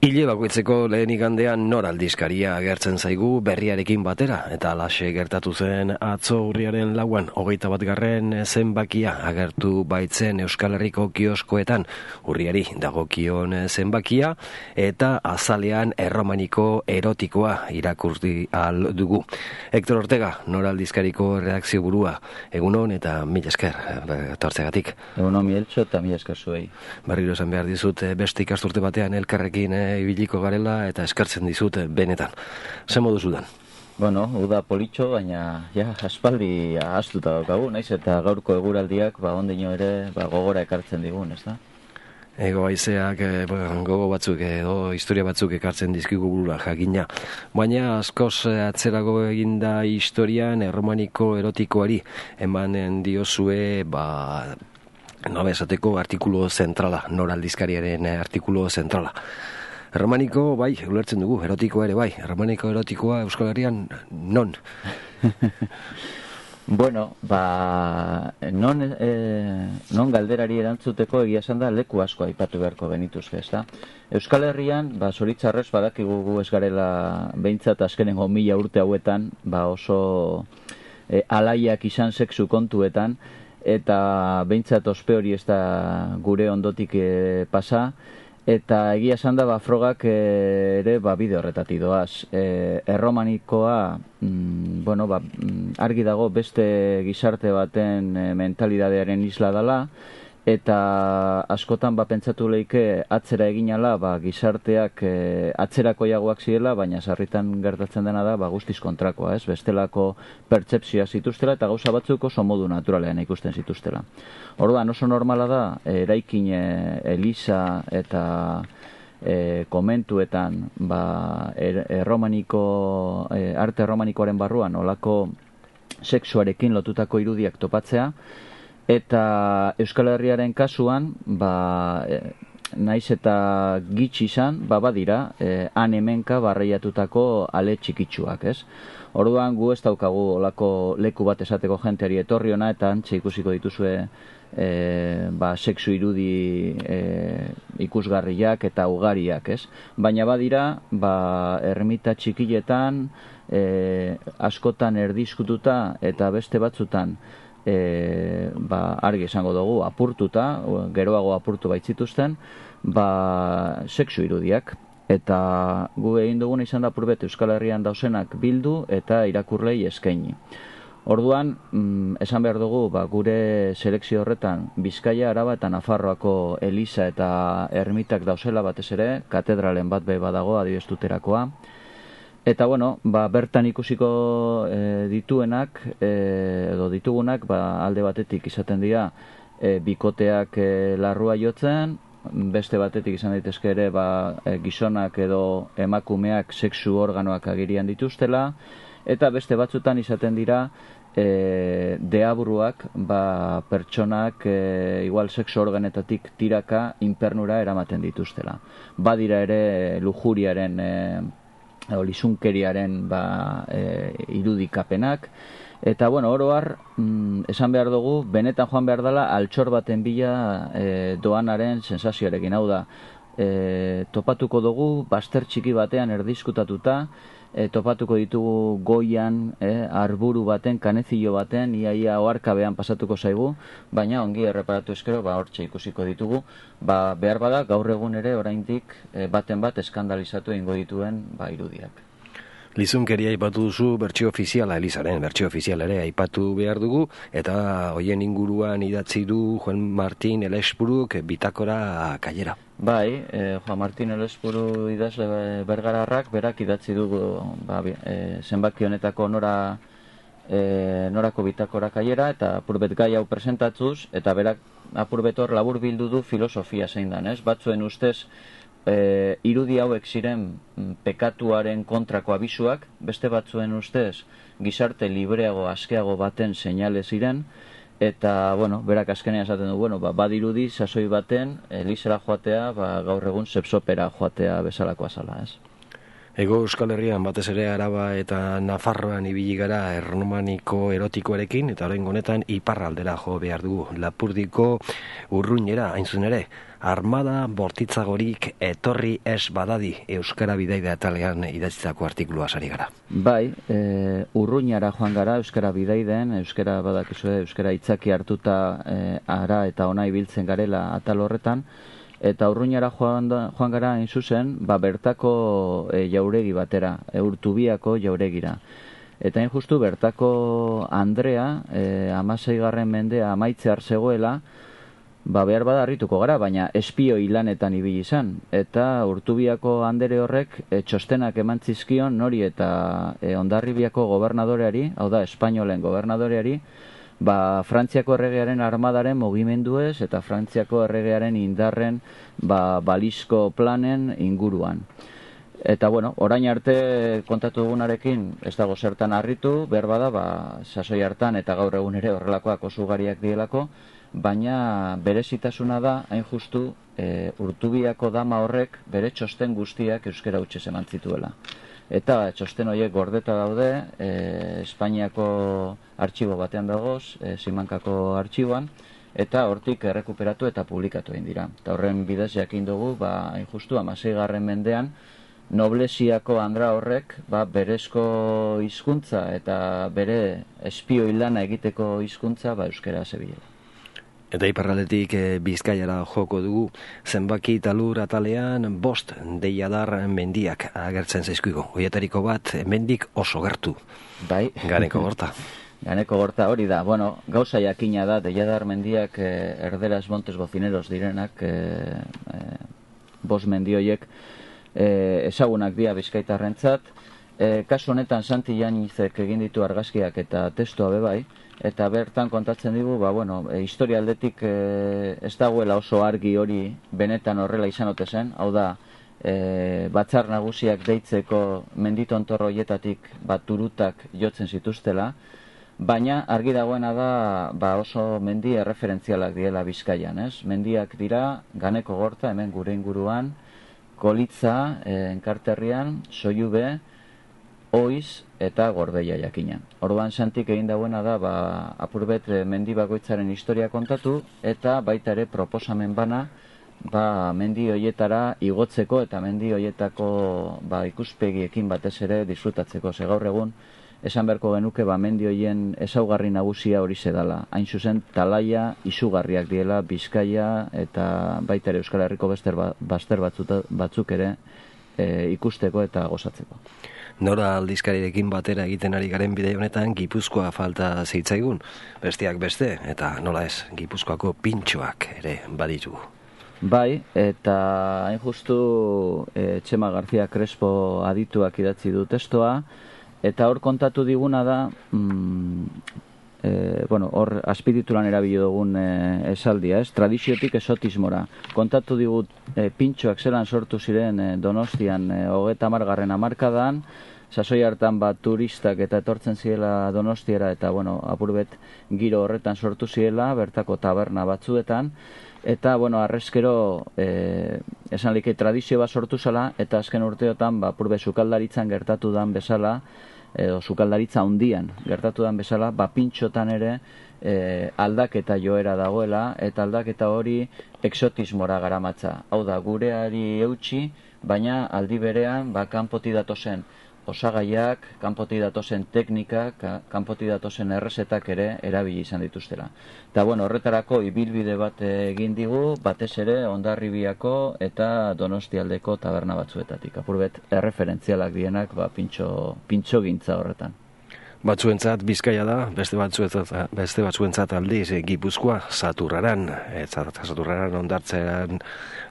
Hile bakoitzeko lehen igandean nor aldizkaria agertzen zaigu berriarekin batera, eta alaxe gertatu zen atzo urriaren 4 21. zenbakia agertu baitzen Euskal Herriko kioskoetan, urriari dagokion zenbakia, eta azalean erromaniko erotikoa irakurri ahal dugu. Hector Ortega, nor aldizkariko redakzio burua, egunon eta mila esker etortzegatik. Egunon Mieltxo eta mila esker zuei. Berriro esan behar dizut, beste ikasturte batean elkarrekin ibiliko garela eta eskertzen dizut benetan. Ze modu zudan? Bueno, uda politxo, baina aspaldi ahaztuta daukagu, naiz eta gaurko eguraldiak ondino ere gogora ekartzen digun, ez da? Ego haizeak gogo batzuk edo historia batzuk ekartzen dizkigu burura jakina. Baina askoz atzerago eginda historian erromaniko erotikoari emanen diozue esateko artikulu zentrala, nor aldizkariaren artikulu zentrala. Erromaniko, bai, ulertzen dugu, erotikoa ere bai. Erromaniko erotikoa Euskal Herrian non? Bueno, non galderari erantzuteko egia esan da leku asko aipatu beharko genituzke, ez da? Euskal Herrian, zoritzarrez badakigu gu ez garela behintzat azkenengo 1000 urte hauetan, oso alaiak izan sexu kontuetan, eta behintzat ospe hori ez da gure ondotik pasa, eta egia esan da frogak ere bide horretatik doaz. Erromanikoa, argi dago beste gizarte baten mentalidadearen isla dela, eta askotan pentsatu leike atzera eginala gizarteak atzerakoiagoak zirela, baina sarritan gertatzen dena da guztiz kontrakoa, ez? Bestelako pertsepzioa zituztela eta gauza batzuk oso modu naturalean ikusten zituztela. Orduan oso normala da eraikin eliza eta komentuetan arte erromanikoaren barruan olako sexuarekin lotutako irudiak topatzea. Eta Euskal Herriaren kasuan, naiz eta gitxi izan, badira, han hemenka barreiatutako ale txikitsuak, ez? Orduan gu ez daukagu olako leku bat esateko jenteari etorri ona, eta antxe ikusiko dituzue sexu irudi ikusgarriak eta ugariak, ez? Baina badira, ermita txikiletan, askotan erdizkututa eta beste batzutan, argi esango dugu apurtuta, geroago apurtu baitzituzten, sexu irudiak. Eta gu egin duguna izan da apurbet Euskal Herrian dausenak bildu eta irakurlei eskaini. Orduan, esan behar dugu, gure selekzio horretan Bizkaia, Araba eta Nafarroako eliza eta ermitak dauzela batez ere, katedralen bat badago adibestuterakoa. Eta, bertan ikusiko dituenak, edo ditugunak, alde batetik izaten dira bikoteak larrua jotzen, beste batetik izan daitezke ere gizonak edo emakumeak sexu organoak agirian dituztela, eta beste batzutan izaten dira deabruak pertsonak igual sexu organetatik tiraka infernura eramaten dituztela. Badira ere lujuriaren lizunkeriaren irudikapenak, eta oro har, esan behar dugu, benetan joan behar dela altxor baten bila doanaren sensazioarekin, hau da, topatuko dugu, bazter txiki batean erdizkutatuta, topatuko ditugu goian, arburu baten, kanezillo baten, iaia oarkabean pasatuko zaigu, baina ongi erreparatu eskero, hortxe ikusiko ditugu, behar bada gaur egun ere oraindik baten bat eskandalizatu egingo dituen irudiak. Lizunkeria aipatu duzu bertsio ofiziala, Elizaren bertsio ofizial ere aipatu behar dugu, eta hoien inguruan idatzi du Juan Martin Elesburuk bitakora kaiera. Juan Martin Elesburu idazle bergararrak berak idatzi dugu zenbaki honetako norako bitakora kaiera, eta apurbet gai hau presentatuz, eta berak apurbetor labur bildu du filosofia zein dan, ez? Batzuen ustez, irudi hauek ziren pekatuaren kontrako abisuak, beste batzuen ustez gizarte libreago, askeago baten seinale ziren, eta, berak azkenean esaten du, badirudi sasoi baten elizera joatea, gaur egun sepsopera joatea bezalakoa zala, ez? Ego Euskal Herrian batez ere Araba eta Nafarroan ibili gara erromaniko erotikoarekin, eta oraingo honetan iparraldera jo behar dugu. Lapurdiko Urruñera, hain zuen ere, armada bortitzagorik etorri ez badadi Euskara Bidaida atalean idatzitako artikulua sari gara. Bai, Urruñara joan gara Euskara Bidaiden, Euskara badakizue, Euskara itzaki hartuta ara eta ona ibiltzen garela atal horretan, eta Urruñara joan gara hain zuzen, bertako jauregi batera, Urtubiako jauregira. Eta hain justu bertako Andrea, 16. mendea amaitzear zegoela, behar bada harrituko gara, baina espioi lanetan ibili izan. Eta Urtubiako Andere horrek txostenak eman zizkion nori eta Hondarribiako gobernadoreari, hau da, Espainolen gobernadoreari, Frantziako erregearen armadaren mugimenduez eta Frantziako erregearen indarren balizko planen inguruan. Eta, orain arte kontatu dugunarekin ez dago zertan harritu, behar bada, sasoi hartan eta gaur egun ere horrelakoak oso ugariak dielako, baina berezitasuna da, hain justu, Urtubiako dama horrek bere txosten guztiak euskara hutsez eman zituela. Eta txosten horiek gordeta daude, Espainiako artxibo batean dagoz, Simankako artxiboan, eta hortik errekuperatu eta publikatu egin dira. Eta horren bidez jakin dugu, hain justu, 16. mendean, Noblesiako Andra horrek berezko hizkuntza eta bere espioi lana egiteko hizkuntza euskara zebilela. Eta iparraldetik Bizkaiara joko dugu, zenbaki talur atalean 5 deiadar mendiak agertzen zaizkigu. Hoietariko bat, mendik oso gertu. Bai. Ganeko Gorta. Ganeko Gorta hori da. Gauza jakina da, deiadar mendiak erderaz Montes Bocineros direnak, 5 mendioiek ezagunak dira Bizkaitarrentzat. Kasu honetan Santi Janizek egin ditu argazkiak eta testua bebai, eta bertan kontatzen digu, historia aldetik ez dagoela oso argi hori benetan horrela izan ote zen, hau da, batzar nagusiak deitzeko menditontorro hoietatik turutak jotzen zituztela, baina argi dagoena da oso mendi erreferentzialak diela Bizkaian, ez? Mendiak dira Ganeko Gorta, hemen gure inguruan, Kolitza, Enkarterrian, Soilube, Oiz eta Gorbeia jakina. Orduan Santik egin dagoena da apurbet mendi bakoitzaren historia kontatu eta baita ere proposamen bana mendi hoietara igotzeko eta mendi hoietako ikuspegiekin batez ere disfrutatzeko. Ze gaur egun esan beharko genuke mendi hoien ezaugarri nagusia hori dela. Hain zuzen talaia izugarriak diela Bizkaia eta baita ere Euskal Herriko bazter batzuk ere ikusteko eta gozatzeko. Nora aldizkarirekin batera egiten ari garen bideo honetan Gipuzkoa falta zeitzaigun, besteak beste, eta nola ez, Gipuzkoako pintxoak ere baditu. Bai, eta hain justu Txema García Crespo adituak idatzi du testoa, eta hor kontatu diguna da, hor azpidituran erabili dugun esaldia, tradiziotik esotismora. Kontatu digut pintxoak zelan sortu ziren Donostian 30. hamarkadan, sasoi hartan turistak eta etortzen zirela Donostiara eta apurbet giro horretan sortu zirela, bertako taberna batzuetan, eta arrezkero esan like tradizio bat sortu zela, eta azken urteotan apurbet sukaldaritzan gertatu dan bezala, edo sukaldaritza handian gertatu dan bezala, pintxotan ere aldaketa joera dagoela, eta aldaketa hori exotismora garamatza. Hau da, gureari eutxi, baina aldi berean kanpoti datozen osagaiak, kanpoti datozen teknikak, kanpoti datozen errezetak ere erabili izan dituztela. Eta horretarako ibilbide bat egin digu, batez ere Hondarribiako eta Donostialdeko taberna batzuetatik. Apurbet erreferentzialak dienak pintxo gintza horretan. Batzuentzat Bizkaia da, beste batzuentzat aldiz Gipuzkoa, Saturraran hondartzean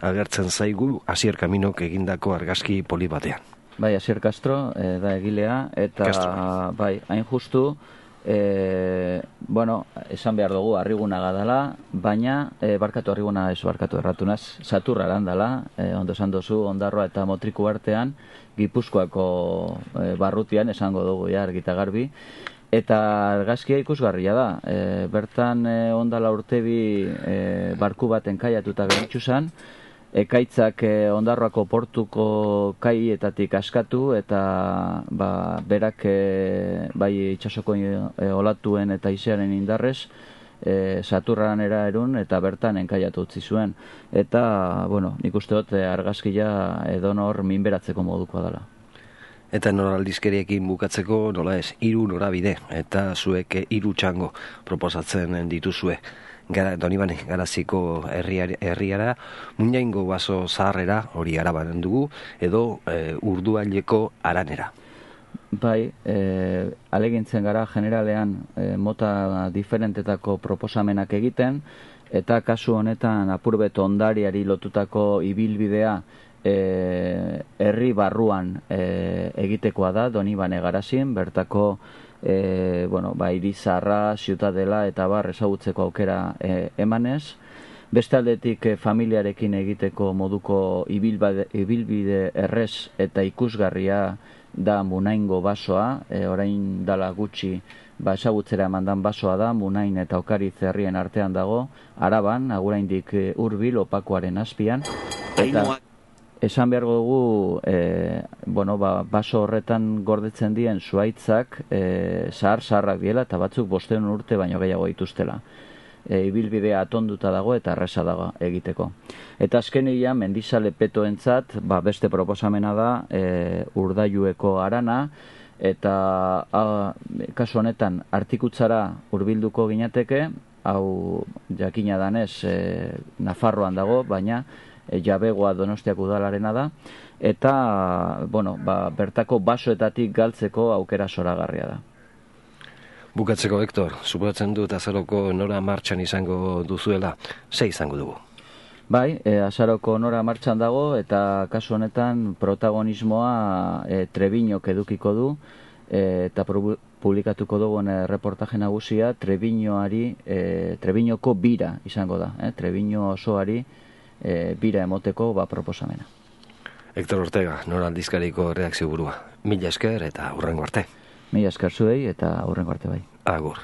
agertzen zaigu Asier Kaminok egindako argazki poli batean. Bai, Asier Castro da egilea, eta hain justu, esan behar dugu Arrigunaga dela, baina Arriguna erratunaz, Saturraran dela, ondo esan dozu, Ondarroa eta Motriku artean, Gipuzkoako barrutian, esango dugu argita garbi, eta argazkia ikusgarria da. Bertan ondala urtebi barku baten kaiatuta geritxu zen, ekaitzak Ondarroako portuko kaietatik askatu eta berak bai itsasoko olatuen eta izearen indarrez Saturranera erun eta bertan enkaiatu utzi zuen. Eta, nik uste dut argazkia edonor minberatzeko modukoa dela. Eta Nor aldizkeriekin bukatzeko nola ez, 3 norabide eta zuek 3 txango proposatzen dituzue. Donibane, Garaziko herriara, Muinaingo baso zaharrera, hori Araban dugu, edo Urduaileko Aranera. Bai, alegintzen gara generalean mota diferentetako proposamenak egiten, eta kasu honetan apurbet ondariari lotutako ibilbidea herri barruan egitekoa da, Donibane Garazin, bertako Irizarra, Ziutadela eta ezagutzeko aukera emanez. Beste aldetik familiarekin egiteko moduko ibilbide errez eta ikusgarria da Munaingo basoa, orain dala gutxi ezagutzera emandan basoa da, Munain eta Okaritz herrien artean dago, Araban, aguraindik hurbil opakoaren azpian, eta esan behar dugu, baso horretan gordetzen dien zuaitzak zahar-zaharrak diela eta batzuk 500 urte baino gehiago dituztela. Ibilbidea atonduta dago eta erresa dago egiteko. Eta azkenian Mendizale petoentzat beste proposamena da Urdailueko Arana, eta kasu honetan Artikutzara hurbilduko ginateke, hau jakina danez Nafarroan dago, baina jabegoa Donostiak udalarena da, eta bertako basoetatik galtzeko aukera zoragarria da. Bukatzeko, Hector, suposatzen dut azaroko Nora martxan izango duzuela, ze izango dugu? Bai, azaroko Nora martxan dago, eta kasu honetan protagonismoa Trebiñok edukiko du, eta publikatuko dugun reportaje nagusia Trebiñoko bira izango da, Trebiño osoari bira emoteko proposamena. Hector Ortega, Nora aldizkariko redakzio burua. Mila esker eta hurrengo arte. Mila esker zuei eta hurrengo arte bai. Agur.